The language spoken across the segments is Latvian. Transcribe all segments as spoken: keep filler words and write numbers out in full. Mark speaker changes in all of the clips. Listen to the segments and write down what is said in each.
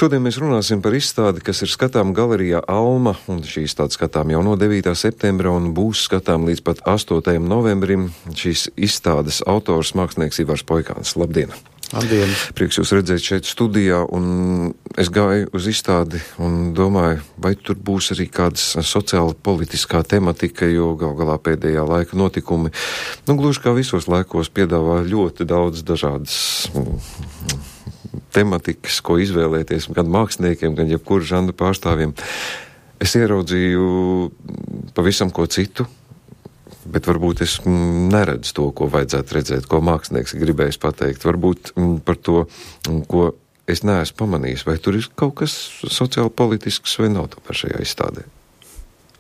Speaker 1: Šodien mēs runāsim par izstādi, kas ir skatām galerijā Alma, un šī izstāde skatām jau no devītā septembra un būs skatām līdz pat astotajam novembrim. Šīs izstādes autors mākslinieks Ivars Poikāns. Labdien!
Speaker 2: Labdien!
Speaker 1: Prieks jūs redzēt šeit studijā, un es gāju uz izstādi un domāju, vai tur būs arī kādas sociāla politiskā tematika, jo gal galā pēdējā laika notikumi, nu gluži kā visos laikos, piedāvā ļoti daudz dažādas tematikas, ko izvēlēties gan māksliniekiem, gan jebkuru žanru pārstāvjiem. Es ieraudzīju pavisam ko citu, bet varbūt es neredzu to, ko vajadzētu redzēt, ko mākslinieks gribējis pateikt. Varbūt par to, ko es neesmu pamanījis, vai tur ir kaut kas sociāli politisks vai nav tomēr šajā izstādē.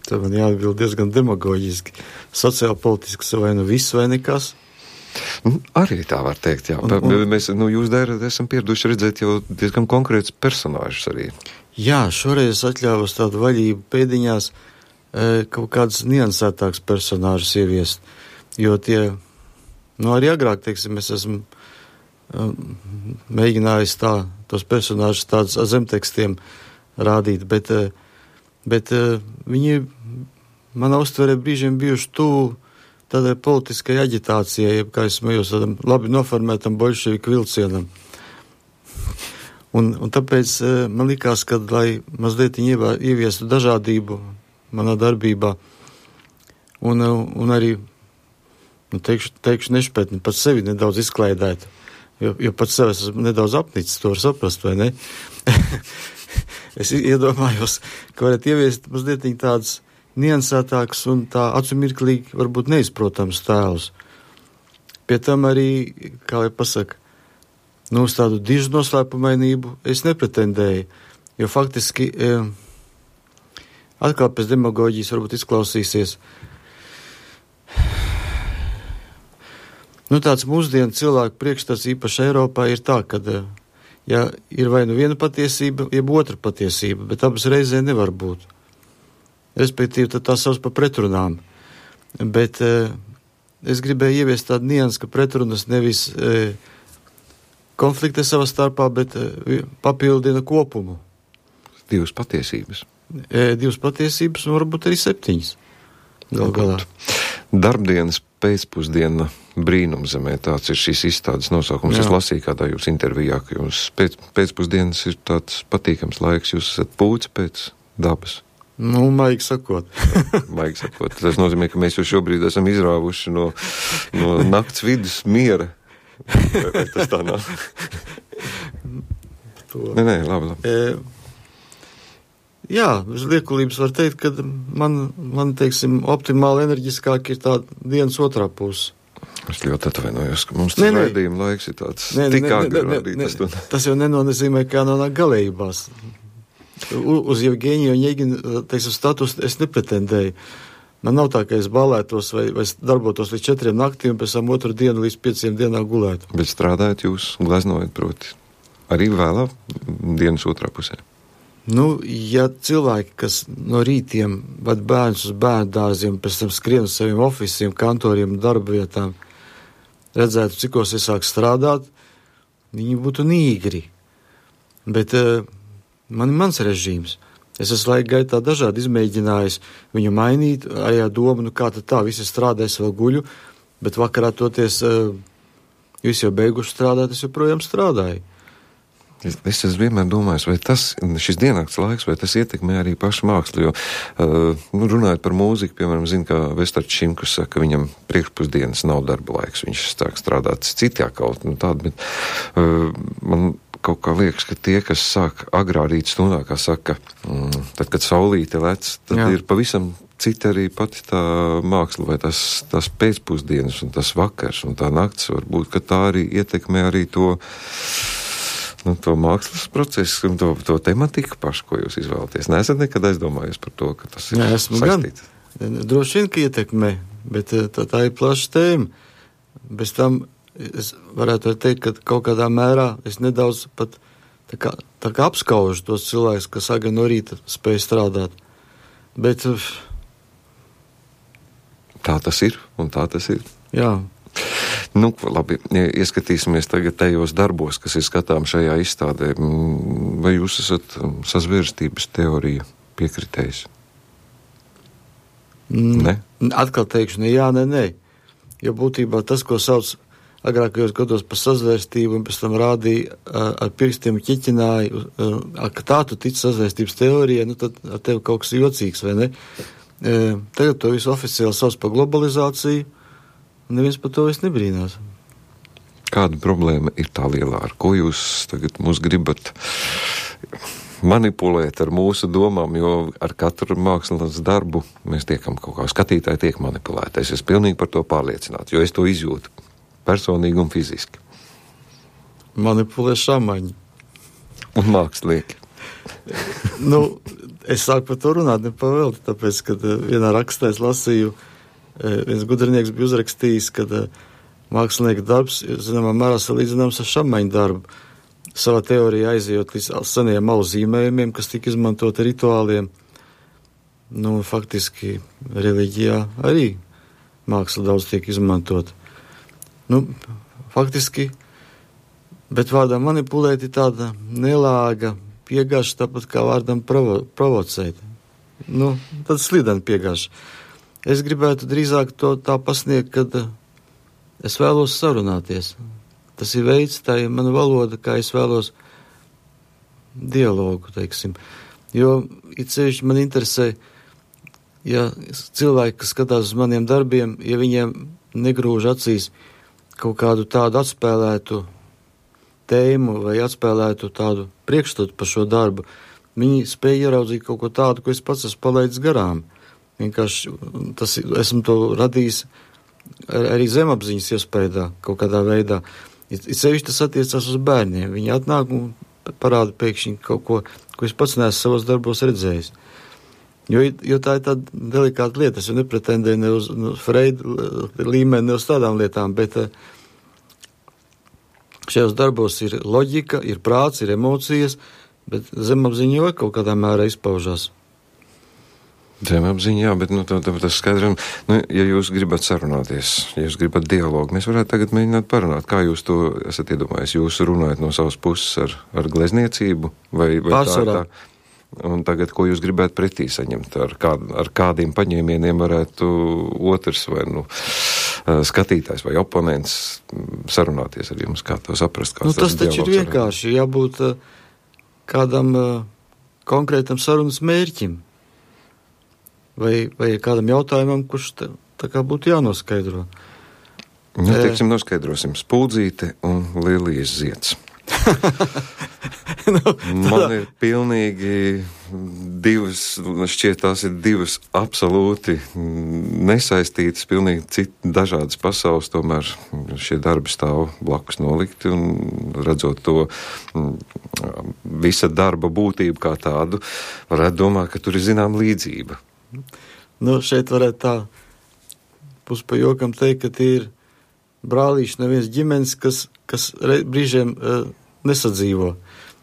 Speaker 2: Tā man jāatbild diezgan demagoģiski. Sociāli politisks vai nu viss vai nekas?
Speaker 1: Nu, arī tā var teikt, jā. Un, un, Mēs, nu, jūs dēļ esam pieraduši redzēt jau diezgan konkrētus personāžus arī.
Speaker 2: Jā, šoreiz atļāvos tādu vaļību pēdiņās kaut kādus niansētāks personāžus ieviest, jo tie, nu arī agrāk, teiksim, es esmu mēģinājis tā, tos personāžus tādus zemtekstiem rādīt, bet, bet viņi manā uztverē brīžiem bijuši tuvu tādai politiskai aģitācijai, jeb, kā es smējos, tādam labi noformētam boļševiku vilcienam. Un, un tāpēc man likās, ka, lai mazliet ieviestu dažādību manā darbībā, un, un arī, nu, teikšu, teikšu nešpētni, pat sevi nedaudz izklaidēt, jo, jo pat sevi esmu nedaudz apnicis, to var saprast, vai ne? Es iedomājos, ka varētu ieviest mazliet tādas niansētāks un tā acumirklīgi varbūt neizprotams tēls. Pie tam arī, kā lai pasaka, nu uz tādu dižu noslēpumainību es nepretendēju, jo faktiski e, atkal pēc demagoģijas varbūt izklausīsies. Nu tāds mūsdienu cilvēku priekšstats īpaši Eiropā ir tā, ka ja ir vai nu viena patiesība, jeb otra patiesība, bet abas reizē nevar būt. Respektīvi, tad tā sauc par pretrunām. Bet e, es gribēju ieviest tādu niansu, ka pretrunas nevis e, konfliktē savā starpā, bet e, papildina kopumu.
Speaker 1: Divas patiesības.
Speaker 2: E, divas patiesības un varbūt arī septiņas. Gal galā.
Speaker 1: Darbdienas pēcpusdiena brīnumzemē, tāds ir šīs izstādes nosaukums. Jā. Es lasīju kādā jūs intervijā, ka jums pēc, pēcpusdienas ir tāds patīkams laiks, jūs esat pūci pēc dabas.
Speaker 2: Nu, maigi sakot.
Speaker 1: Maigi sakot. Tas nozīmē, ka mēs jau šobrīd esam izrāvuši no, no nakts vidus miera. Vai, vai tas tā nav? Nē, nē, labi, labi.
Speaker 2: E, jā, uz liekulības var teikt, ka man, man, teiksim, optimāli enerģiskāk ir tā dienas otrā puse.
Speaker 1: Es ļoti atvainojos, ka mums tas raidījuma laiks ir tāds nē, tik agri rādītas.
Speaker 2: Tas jau nenozīmē, ka jānonāk galējībās. Uz Jevgeņiju un Jēginu, teiksim, status es nepretendēju. Man nav tā, ka es balētos vai, vai darbotos līdz četriem naktī un pēc tam otru dienu līdz pieciem dienā gulētu.
Speaker 1: Bet strādājat jūs, gleznojat, proti, arī vēlā dienas otrā pusē?
Speaker 2: Nu, ja cilvēki, kas no rītiem vad bērns uz bērnu dārziem, pēc tam skrien uz saviem ofisiem, kantoriem un darba vietām, redzētu, cikos es sāku strādāt, viņi būtu nīgri. Bet uh, man ir mans režīms. Es esmu laika gaitā dažādi izmēģinājis viņu mainīt, arī ar domu, nu kā tad tā, visi strādā, es vēl guļu, bet vakarā toties, uh, visi jau beiguši strādāt, es joprojām strādāju.
Speaker 1: Es, es esmu vienmēr domājis, vai tas, šis diennakts laiks, vai tas ietekmē arī pašu mākslu, jo, uh, nu, runājot par mūziku, piemēram, zinu, ka Vestards Šimkus saka, ka viņam priekšpusdienas nav darba laiks, viņš sāk strādāt citā kaut, nu tāda, bet uh, man kaut kā liekas, ka tie, kas sāk agrā rīt stundā, kā saka, mm, tad, kad saulīte lec, tad Jā. Ir pavisam cita arī pati tā māksla, vai tas, tas pēcpusdienas un tas vakars un tā nakts, varbūt, ka tā arī ietekmē arī to, nu, to mākslas procesu un to, to tematiku pašu, ko jūs izvēlaties. Neesat nekad aizdomājies par to, ka tas ir
Speaker 2: Nē, saistīts? Gan, droši vien, ka ietekmē, bet tā, tā ir plaša tēma. Bez tam es varētu teikt, ka kaut kādā mērā es nedaudz pat tā kā, tā kā apskaužu tos cilvēkus, kas agri no rīta spēj strādāt. Bet
Speaker 1: tā tas ir, un tā tas ir.
Speaker 2: Jā.
Speaker 1: Nu, labi, ieskatīsimies tagad tajos darbos, kas ir skatām šajā izstādē. vai jūs esat sazvērstības teorija piekritējis?
Speaker 2: Mm,
Speaker 1: ne?
Speaker 2: Atkal teikšu, ne jā, ne, ne. Jo būtībā tas, ko sauc agrākajos gados par sazvērstību, un pēc tam rādīja ar pirkstiem ķiķināju, ka tā tu tici sazvērstības teorijai, nu tad ar tevi kaut kas jocīgs, vai ne? Tagad to visu oficiāli sauc par globalizāciju, un neviens par to visu nebrīnās.
Speaker 1: Kāda problēma ir tā lielā, ar ko jūs tagad mūs gribat manipulēt ar mūsu domām, jo ar katru mākslas darbu mēs tiekam kaut kā, skatītāji tiek manipulēti. Es esmu pilnīgi par to pārliecināts, jo es to izjūtu personīgi un fiziski.
Speaker 2: Manipulē šamaņi.
Speaker 1: Un mākslinieki.
Speaker 2: nu, es sāku par to runāt nepavēlti, tāpēc, kad vienā rakstā es lasīju, viens gudrinieks bija uzrakstījis, kad mākslinieka darbs, zināmā mērā salīdzināms ar šamaņu darbu. Savā teorijā aizejot līdz seniem malu zīmējumiem, kas tika izmantot rituāliem. Nu, faktiski reliģijā arī māksla daudz tiek izmantot. Nu, faktiski, bet vārdā manipulēt ir tāda nelāga piegāša, tāpat kā vārdam provo, provocēt. Nu, tad slideni piegāša. Es gribētu drīzāk to tā pasniegt, kad es vēlos sarunāties. Tas ir veids, tā ir mana valoda, kā es vēlos dialogu, teiksim. Jo, it sevišķi man interesē, ja cilvēki, kas skatās uz maniem darbiem, ja viņiem negrūž acīs kaut kādu tādu atspēlētu tēmu vai atspēlētu tādu priekšstatu par šo darbu, viņi spēja ieraudzīt kaut ko tādu, ko es pats esmu palaidis garām. Vienkārši tas, esmu to radījis arī zemapziņas iespējā kaut kādā veidā. It sevišķi tas attiecās uz bērniem. Viņi atnāk un parāda pēkšņi kaut ko, ko es pats neesmu savos darbos redzējis. Jo, jo tā ir tāda delikāta lieta. Es jau nepretendēju ne uz no Freida līmeni, ne uz tādām lietām, bet šajos darbos ir loģika, ir prāts, ir emocijas, bet zemapziņa jau kaut kādā mērā izpaužās.
Speaker 1: Zemapziņā, bet nu, tā, tā, tas skaidram, nu, ja jūs gribat sarunāties, ja jūs gribat dialogu, mēs varētu tagad mēģināt parunāt. Kā jūs to esat iedomājis? Jūs runājat no savas puses ar, ar glezniecību? Vai, vai
Speaker 2: Pārsvarā.
Speaker 1: Tā, tā, un tagad, ko jūs gribētu pretī saņemt? Ar, kād, ar kādiem paņēmieniem varētu otrs vai nu, skatītājs vai oponents sarunāties ar jums? Kā to saprast?
Speaker 2: Nu, tas taču ir vienkārši jābūt kādam konkrētam sarunas mērķim. Vai, vai kādam jautājumam, kurš tā, tā kā būtu jānoskaidro.
Speaker 1: Nu, teiksim, noskaidrosim Spuldzīte un Lilijas zieds. nu, Man ir pilnīgi divas, šķiet tās ir divas absolūti nesaistītas, pilnīgi citas dažādas pasaules, tomēr šie darbi stāv blakus nolikti un redzot to visa darba būtību kā tādu, varētu domāt, ka tur ir zinām līdzība.
Speaker 2: Nu, šeit varētu tā pus pa jokam teikt, ka tie ir brālīši neviens ģimenes, kas, kas re, brīžiem uh, nesadzīvo.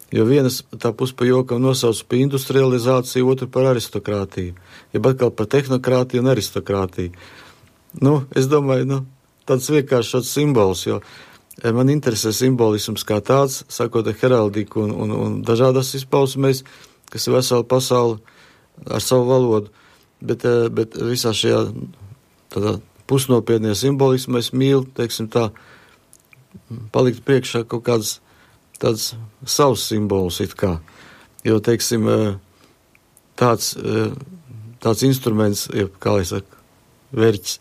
Speaker 2: Jo vienas tā pus pa jokam nosauc par industrializāciju, otru par aristokrātiju. Jeb atkal par tehnokrātiju un aristokrātiju. Nu, es domāju, nu, tāds vienkārši šāds simbols, jo man interesē simbolisms kā tāds, sakot ar heraldiku un, un, un dažādas izpausmēs, kas ir vesela pasaule ar savu valodu. Bet, bet visā šajā tādā pusnopietnē simbolismā es mīlu, teiksim tā, palikt priekšā kaut kāds tāds savs simbols it kā. Jo, teiksim, tāds, tāds instruments, kā lai saka, verķis,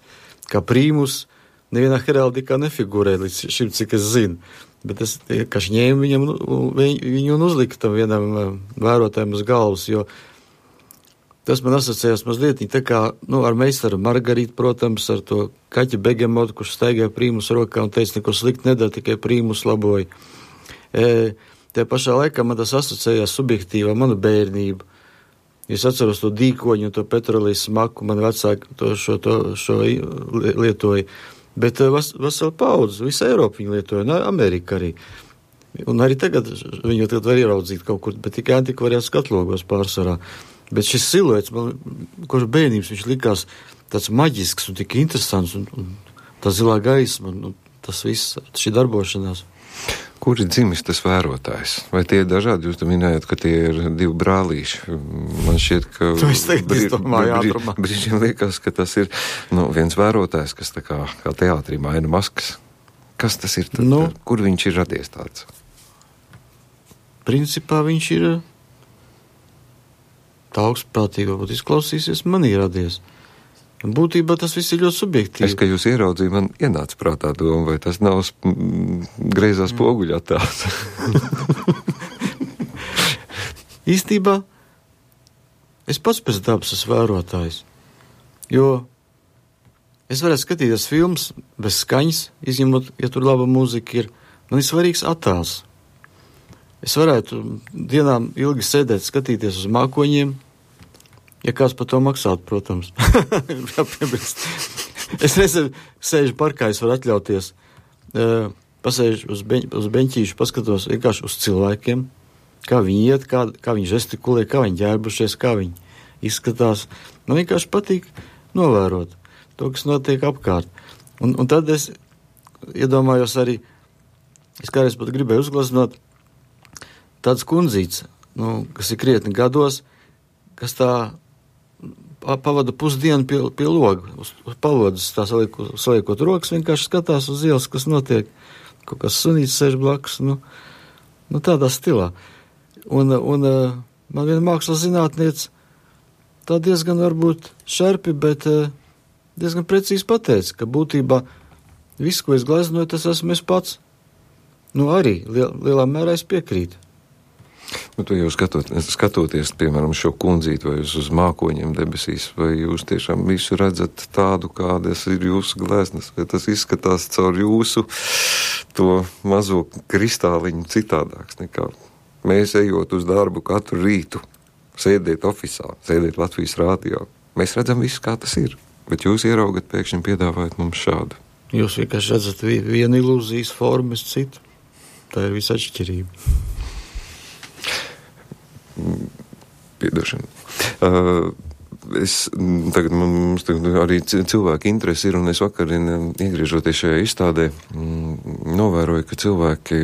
Speaker 2: kā prīmus, nevienā heraldikā nefigurē līdz šim, cik es zinu. Bet es vienkārši ņēmu viņam, viņu un uzliku tam vienam vērotājiem uz galvas, jo tas man asociējās mazliet, tā kā, nu, ar meistaru Margarītu, protams, ar to kaķi begemotu, kurš staigāja prīmus rokā un teica, neko slikti nedara, tikai prīmus laboja. E, te pašā laikā man tas asociējās subjektīvā manu bērnību. Es atceros to dīkoņu un to petrolijas smaku, man vecāki to šo, to, šo lietoja. Bet vas, vesela paudze, visa Eiropa viņu lietoja, un Amerika arī. Un arī tagad viņu tagad var ieraudzīt kaut kur, bet tikai antikvariāts skatlogos pārsvarā. Bet šis siluets, man, kurš bērnības viņš likās tāds maģisks un tik interesants, un, un tā zilā gaisma, un, un tas viss, šī darbošanās.
Speaker 1: Ko Kur ir dzimis tas vērotājs? Vai tie ir dažādi? Jūs te minējat, ka tie ir divi brālīši. Man šķiet, ka
Speaker 2: brī, brī,
Speaker 1: brīžiem liekas, ka tas ir nu, viens vērotājs, kas tā kā, kā teātrī maina maskas. Kas tas ir? Tad, nu, kur viņš ir radies tāds?
Speaker 2: Principā viņš ir tā augstprātīgi, varbūt izklausīsies, man ir radies. Būtībā tas viss ir ļoti subjektīvi.
Speaker 1: Es, ka jūs ieraudzīju, man ienāca prātā doma, vai tas nav mm, greizā spoguļa attēls.
Speaker 2: Īstībā es pats pēc dabas esmu vērotājs, jo es varētu skatīties filmas bez skaņas, izņemot, ja tur laba mūzika ir. Man ir svarīgs attēls. Es varētu dienām ilgi sēdēt, skatīties uz mākoņiem, ja kāds par to maksātu, protams. Es reizē sēžu parkā, es varu atļauties, uh, pasēžu uz, beņ, uz beņķīšu, paskatos vienkārši uz cilvēkiem, kā viņi iet, kā, kā viņi žestikulē, kā viņi ģērbušies, kā viņi izskatās. Man vienkārši patīk novērot to, kas notiek apkārt. Un, un tad es iedomājos arī, es kādreiz pat gribēju uzgleznot tāds kundzīts, nu, kas ir krietni gados, kas tā pavada pusdienu pie, pie loga, uz, uz palodas, tā saliekot, saliekot rokas, vienkārši skatās uz ielas, kas notiek, kaut kas sunīts sēž blakus, nu, nu tādā stilā. Un, un man viena mākslas zinātniece tā diezgan varbūt šarpi, bet diezgan precīzi pateica, ka būtībā viss, ko es gleznoju, tas esmu es pats. Nu arī liel, lielā mērā es piekrītu.
Speaker 1: Nu, tu jau skatot, skatoties, piemēram, šo kundzīti vai uz, uz mākoņiem debesīs, vai jūs tiešām visu redzat tādu, kādas ir jūsu gleznas, vai tas izskatās caur jūsu to mazo kristāliņu citādāks nekā mēs ejot uz darbu katru rītu, sēdēt ofisā, sēdēt Latvijas rādio. Mēs redzam visu, kā tas ir, bet jūs ieraugat pēkšņi piedāvājat mums šādu.
Speaker 2: Jūs vienkārši redzat vienu ilūzijas formu, es citu. Tā ir visa atšķirība.
Speaker 1: Piedošana. Uh, es, tagad mums tagad arī cilvēki interesi ir, un es vakarien, iegriežoties šajā izstādē, mm, novēroju, ka cilvēki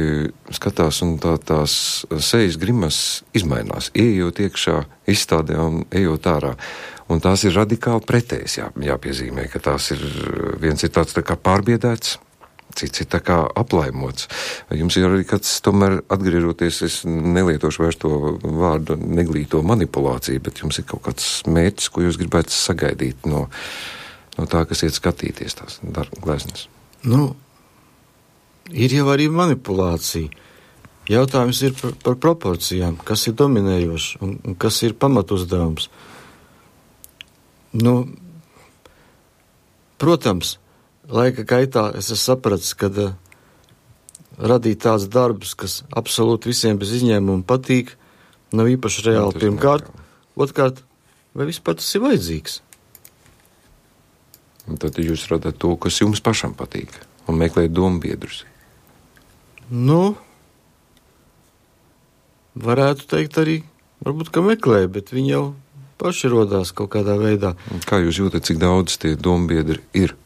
Speaker 1: skatās un tā, tās sejas grimas izmainās, ieejot iekšā izstādē un ejot ārā. Un tās ir radikāli pretējas, jā, jāpiezīmē, ka tās ir, viens ir tāds tā kā pārbiedēts, cits ir tā kā aplaimots. Jums ir arī kāds, tomēr atgriežoties, es nelietošu vairs to vārdu neglīto manipulāciju, bet jums ir kaut kāds mērķis, ko jūs gribētu sagaidīt no, no tā, kas iet skatīties tās gleznas.
Speaker 2: Nu, ir jau arī manipulācija. Jautājums ir par, par proporcijām, kas ir dominējoši un, un kas ir pamatuzdevums. Nu, protams, laika gaitā es esmu sapratis, ka uh, radīt tāds darbus, kas absolūti visiem bez izņēmuma patīk, nav īpaši reāli pirmkārt. Otkārt, vai vispār tas ir vajadzīgs?
Speaker 1: Un tad jūs radāt to, kas jums pašam patīk, un meklējat dombiedrus.
Speaker 2: Nu, varētu teikt arī, varbūt, ka meklē, bet viņi jau paši rodās kaut kādā veidā.
Speaker 1: Kā jūs jūtat, cik daudz tie dombiedri ir?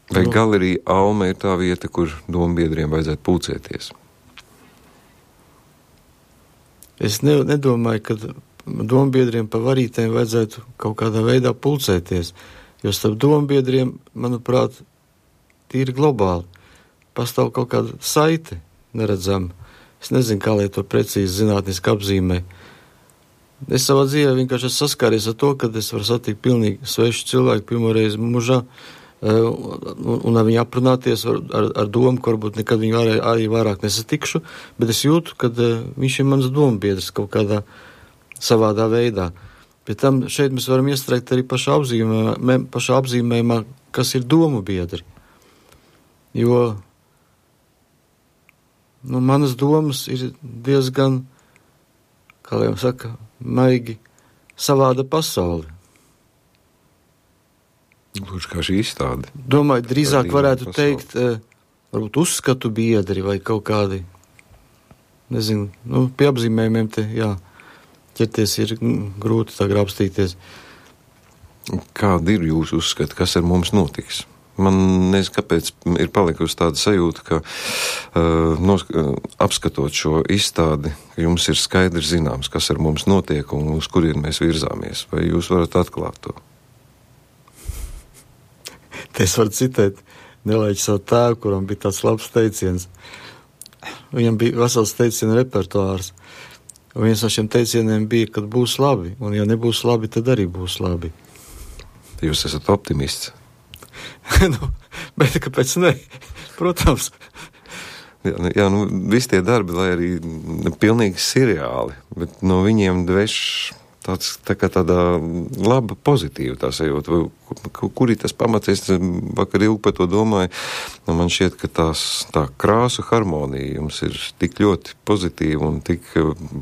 Speaker 1: Vai nu, galerija Alma ir tā vieta, kur dombiedriem vajadzētu pulcēties?
Speaker 2: Es ne, nedomāju, ka dombiedriem pa varītēm vajadzētu kaut kādā veidā pulcēties, jo starp dombiedriem, manuprāt, tīri globāli pastāv kaut kāda saite neredzama. Es nezinu, kā lai to precīzi zinātniski apzīmē. Es savā dzīvē vienkārši esmu saskāries ar to, kad es varu satikt pilnīgi svešu cilvēku pirmoreiz mūžā, un, un ar viņu aprunāties ar, ar, ar domu, ka varbūt nekad viņu arī, arī vairāk nesatikšu, bet es jūtu, ka uh, viņš ir mans dombiedrs kaut kādā savādā veidā. Pēc tam šeit mēs varam iestrēgt arī pašā apzīmējumā, pašā apzīmējumā, kas ir domu biedri. Jo nu, manas domas ir diezgan, kā jau saka, maigi savāda pasauli.
Speaker 1: Lūdzu, kā šī izstāde?
Speaker 2: Domāju, drīzāk varētu teikt, eh, varbūt uzskatu biedri vai kaut kādi, nezinu, nu, pie apzīmējumiem te, jā, ķerties ir grūti tā grābstīties.
Speaker 1: Kādi ir jūsu uzskati, kas ar mums notiks? Man nezinu, kāpēc ir palikusi tāda sajūta, ka uh, nos, uh, apskatot šo izstādi, ka jums ir skaidri zināms, kas ar mums notiek un uz kurien mēs virzāmies. Vai jūs varat atklāt to?
Speaker 2: Te es varu citēt Nelaiķi savu tēvu, kuram bija tāds labs teiciens. Viņam bija vesels teicienu repertuārs. Un viens no šiem teicieniem bija, kad būs labi, un ja nebūs labi, tad arī būs labi.
Speaker 1: Jūs esat optimists.
Speaker 2: nu, bet kāpēc ne? Protams.
Speaker 1: Jā, jā, nu, visi tie darbi, lai arī pilnīgi seriāli, bet no viņiem dveš tāds, tā kā tāda laba, pozitīva tā sajūta. Kur ir tas pamats? Es vakar ilgi par to domāju. Nu, man šķiet, ka tās, tā krāsu harmonija jums ir tik ļoti pozitīva un tik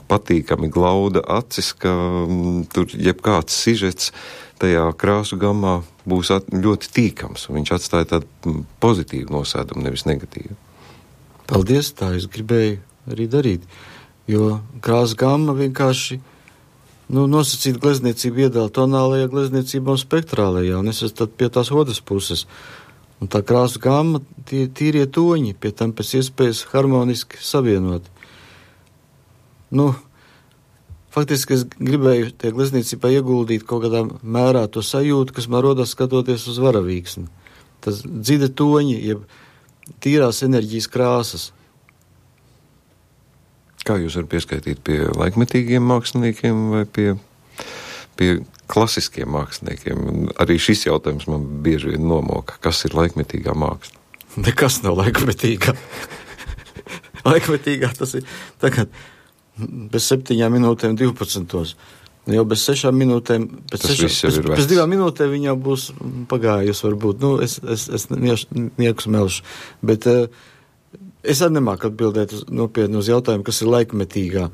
Speaker 1: patīkami glauda acis, ka m, tur jebkāds sižets tajā krāsu gammā būs at, ļoti tīkams, un viņš atstāja tādu pozitīvu nosēdumu, nevis negatīvu.
Speaker 2: Paldies, tā es gribēju arī darīt, jo krāsu gamma vienkārši nu, nosacīt glezniecību iedala tonālajā glezniecībā un spektrālajā, un es esmu tad pie tās otras puses. Un tā krāsu gamma, tie tīrie toņi, pie tam pēc iespējas harmoniski savienoti. Nu, faktiski es gribēju tie glezniecībā ieguldīt kaut kādā mērā to sajūtu, kas man rodas skatoties uz varavīksni. Tas dzida toņi, jeb tīrās enerģijas krāsas.
Speaker 1: Kā jūs varat pieskaitīt pie laikmetīgiem māksliniekiem vai pie, pie klasiskiem māksliniekiem? Arī šis jautājums man bieži vien nomoka. Kas ir laikmetīgā māksla?
Speaker 2: Nekas nav laikmetīgā. Laikmetīgā tas ir tagad bez septiņām minūtēm divpadsmitos. Jau bez sešām minūtēm, pēc, sešām, pēc, pēc divām minūtēm viņa būs pagājusi varbūt. Nu, es, es, es nieku smelšu. Bet uh, es arī nemāku atbildēt uz, nopietni uz jautājumu, kas ir laikmetīgā.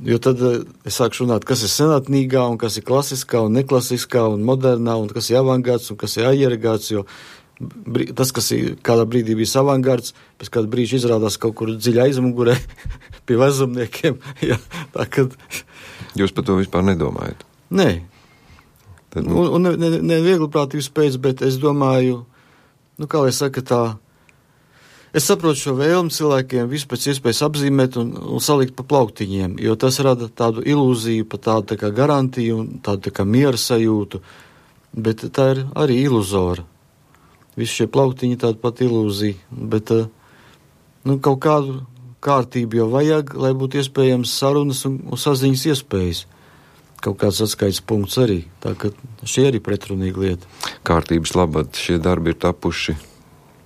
Speaker 2: Jo tad uh, es sāku runāt, kas ir senatnīgā un kas ir klasiskā un neklasiskā un modernā un kas ir avangārds un kas ir aiergārds, jo tas, kas ir kādā brīdī bija avangārds, pēc kāda brīža izrādās kaut kur dziļi aizmugurē pie vezumniekiem. Jā, tā kad...
Speaker 1: Jūs par to vispār nedomājat?
Speaker 2: Nē.
Speaker 1: Tad,
Speaker 2: nu... Un, un ne, ne, ne viegli prātības pēc, bet es domāju, nu kā lai saka tā, es saprotu šo vēlmi cilvēkiem visu pēc iespējas apzīmēt un, un salikt pa plauktiņiem, jo tas rada tādu ilūziju, pa tādu tā kā garantiju un tādu tā kā miera sajūtu, bet tā ir arī iluzora. Visi šie plauktiņi tāda pat ilūzija, bet nu, kaut kādu kārtību jau vajag, lai būtu iespējams sarunas un, un saziņas iespējas. Kaut kāds atskaites punkts arī, tā ka šie arī pretrunīga lieta.
Speaker 1: Kārtības labad šie darbi ir tapuši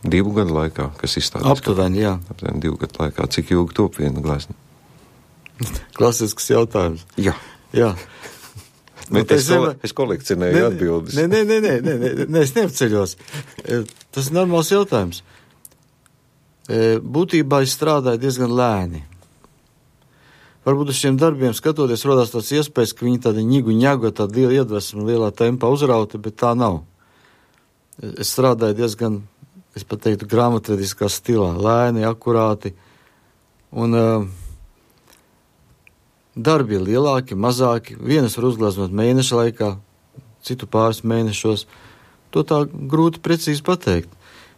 Speaker 1: divu gadu laikā, kas izstādās?
Speaker 2: Aptuveni, jā.
Speaker 1: Aptuveni divu gadu laikā. Cik ilgi top viena glezna?
Speaker 2: Klasisks jautājums.
Speaker 1: Jā.
Speaker 2: Jā.
Speaker 1: Bet es, kole, es kolekcionēju atbildes.
Speaker 2: Nē, nē, nē, nē, nē, nē, nē, es neapceļos. Tas ir normāls jautājums. Būtībā es strādāju diezgan lēni. Varbūt uz šiem darbiem skatoties rodās tāds iespējas, ka viņi tādi ņigu ņago, tāda liela iedvesma, lielā tempā uzrauta, bet tā nav. Es strādāju diezgan, es pat teiktu, grāmatvediskā stilā, lēni, akurāti, un uh, darbi ir lielāki, mazāki, vienas var uzgleznot mēneša laikā, citu pāris mēnešos. To tā grūti precīzi pateikt,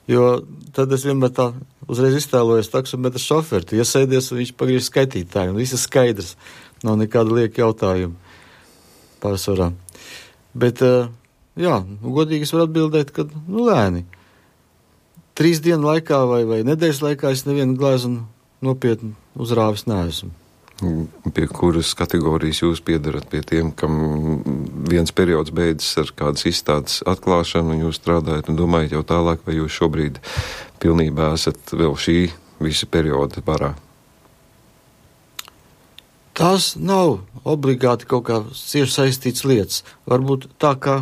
Speaker 2: jo tad es vienmēr tā uzreiz iztēlojos taksometra šoferi, tu iesēdies un viņš pagriež skaitītāju, un viss ir skaidrs, nav nekāda lieka jautājuma pārsvarā. Bet, jā, godīgi es varu atbildēt, ka, nu, lēni. Trīs dienu laikā vai, vai nedēļas laikā es nevienu gleznu nopietni uzrāvis neesmu.
Speaker 1: Pie kuras kategorijas jūs piedarat? Pie tiem, kam viens periods beidzas ar kādas izstādes atklāšanu, un jūs strādājat un domājat jau tālāk, vai jūs šobrīd pilnībā esat vēl šī visa perioda varā?
Speaker 2: Tās nav obligāti kaut kā cieši saistīts lietas. Varbūt tā, kā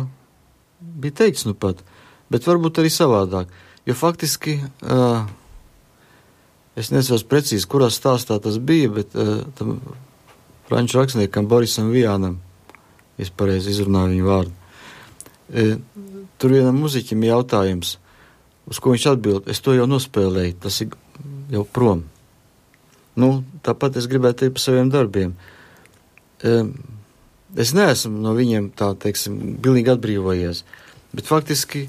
Speaker 2: bija teikts nu pat, bet varbūt arī savādāk. Jo faktiski... Uh, Es nezinu precīzi, kurā stāstā tas bija, bet uh, tam franču rakstniekam Borisam Vijānam, es pareizi izrunāju viņu vārdu. E, tur vienam muziķim jautājums, uz ko viņš atbild, es to jau nospēlēju, tas ir jau prom. Nu, tāpat es gribētu teikt par saviem darbiem. E, es neesmu no viņiem tā, teiksim, bilīgi atbrīvojies, bet faktiski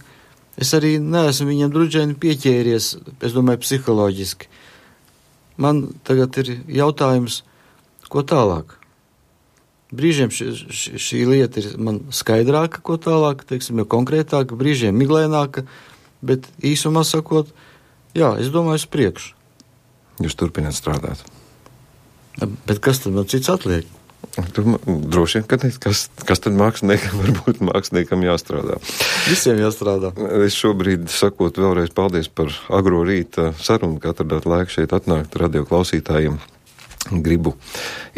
Speaker 2: es arī neesmu viņam drudžēni pieķēries, es domāju, psiholoģiski. Man tagad ir jautājums, ko tālāk? Brīžiem šī, šī, šī lieta ir man skaidrāka, ko tālāk, teiksim, jau konkrētāka, brīžiem miglēnāka, bet īsumā sakot, jā, es domāju, uz priekšu.
Speaker 1: Jūs turpināt strādāt.
Speaker 2: Bet kas tad man cits atliek?
Speaker 1: Tur droši vien, ka ne, kas, kas tad māksliniekam varbūt māksliniekam jāstrādā.
Speaker 2: Visiem jāstrādā.
Speaker 1: Es šobrīd sakot vēlreiz paldies par agro rīta sarunu, ka atradāt laiku šeit atnākt radio klausītājiem. Gribu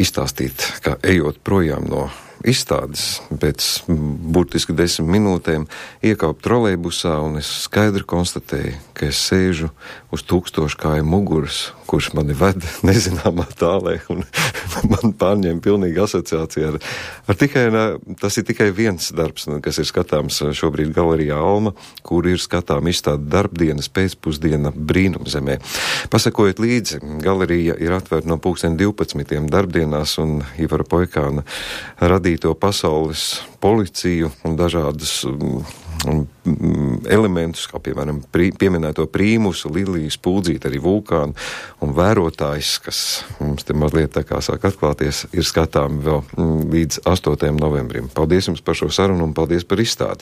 Speaker 1: izstāstīt, ka ejot projām no izstādes pēc burtiski desmit minūtēm iekāpu trolejbusā un es skaidri konstatēju, ka es sēžu uz tūkstoškāju muguras, kurš mani ved nezināmā tālē un man pārņēma pilnīgi asociācija ar, ar tikai, tas ir tikai viens darbs, kas ir skatāms šobrīd galerijā Alma, kur ir skatām izstāde darbdienas pēcpusdiena Brīnumzemē. Pasakojot līdzi, galerija ir atvērta no pulksten divpadsmitiem darbdienās un Ivara Poikāna radīto pasaules policiju un dažādas um, elementus, kā piemēram prī, pieminēto prīmusu, Liliju Spuldzīti, arī vulkānu un vērotājs, kas mums te mazliet tā kā sāk atklāties, ir skatāmi vēl līdz astotajam novembrim. Paldies jums par šo sarunu un paldies par izstādi.